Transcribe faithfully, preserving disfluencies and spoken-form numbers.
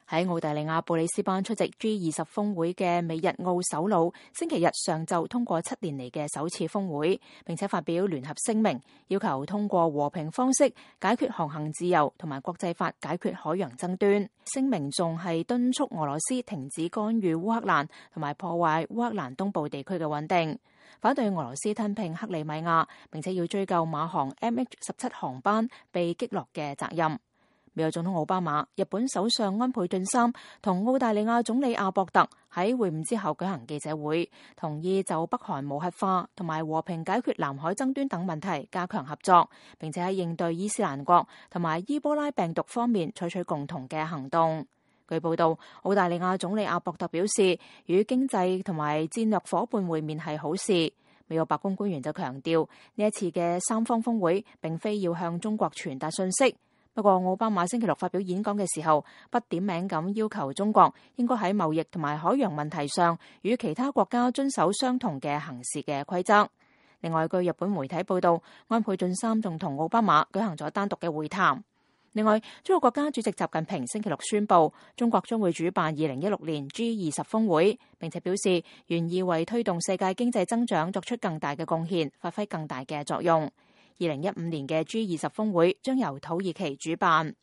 喺澳大利亞布里斯班出席 G 二十峰會嘅美日澳首腦，星期日上晝通過七年嚟嘅首次峰會，並且發表聯合聲明，要求通過和平方式解決航行自由同埋國際法解決海洋爭端。聲明仲係敦促俄羅斯停止干預烏克蘭同埋破壞烏克蘭東部地區嘅穩定，反對俄羅斯吞併克里米亞，並且要追究馬航 M H 十七航班被擊落嘅責任。美國總統奧巴馬、日本首相安倍晉三同澳大利亞總理阿博特喺會晤之後舉行記者會，同意就北韓無核化同埋和平解決南海爭端等問題加強合作，並且喺應對伊斯蘭國同埋伊波拉病毒方面採取共同嘅行動。據報道，澳大利亞總理阿博特表示，與經濟同埋戰略夥伴會面係好事。美國白宮官員就強調，呢一次嘅三方峰會並非要向中國傳達信息。不過，奧巴馬星期六發表演講嘅時候，不點名咁要求中國應該喺貿易同埋海洋問題上與其他國家遵守相同嘅行事嘅規則。另外，據日本媒體報道，安倍晉三仲同奧巴馬舉行咗單獨嘅會談。另外，中國國家主席習近平星期六宣布，中國將會主辦二零一六年 G 二十峰會，並且表示願意為推動世界經濟增長作出更大嘅貢獻，發揮更大嘅作用。二零一五年嘅 G 二十峰會將由土耳其主辦。